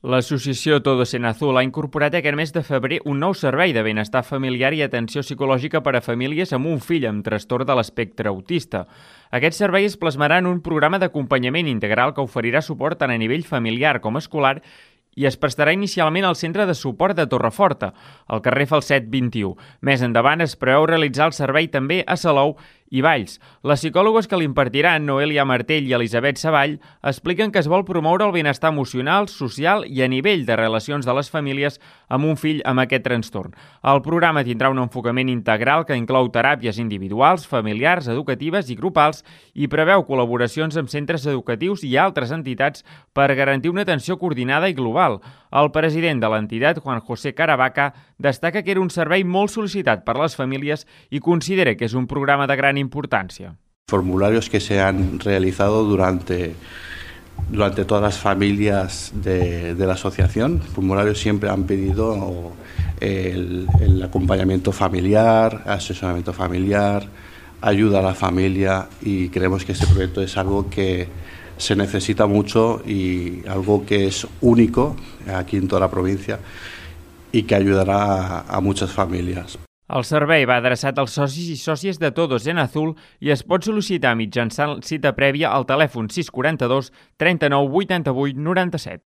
L'associació Todos en Azul ha incorporat aquest mes de febrer un nou servei de benestar familiar i atenció psicològica per a famílies amb un fill amb trastorn de l'espectre autista. Aquest servei es plasmarà en un programa d'acompanyament integral que oferirà suport tant a nivell familiar com escolar i es prestarà inicialment al Centre de Suport de Torreforta, al carrer Falset 21. Més endavant es preveu realitzar el servei també a Salou i Valls. Les psicòlogues que l'impartiran, Noelia Martell i Elisabet Savall, expliquen que es vol promoure el benestar emocional, social i a nivell de relacions de les famílies amb un fill amb aquest trastorn. El programa tindrà un enfocament integral que inclou teràpies individuals, familiars, educatives i grupals i preveu col·laboracions amb centres educatius i altres entitats per garantir una atenció coordinada i global. El president de l'entitat, Juan José Caravaca, destaca que era un servei molt sol·licitat per les famílies i considera que és un programa de gran importancia. Formularios que se han realizado durante todas las familias de la asociación. Formularios siempre han pedido el acompañamiento familiar, asesoramiento familiar, ayuda a la familia, y creemos que este proyecto es algo que se necesita mucho y algo que es único aquí en toda la provincia y que ayudará a muchas familias. El servei va adreçat als socis i sòcies de Todos en Azul i es pot sol·licitar mitjançant cita prèvia al telèfon 642 39 88 97.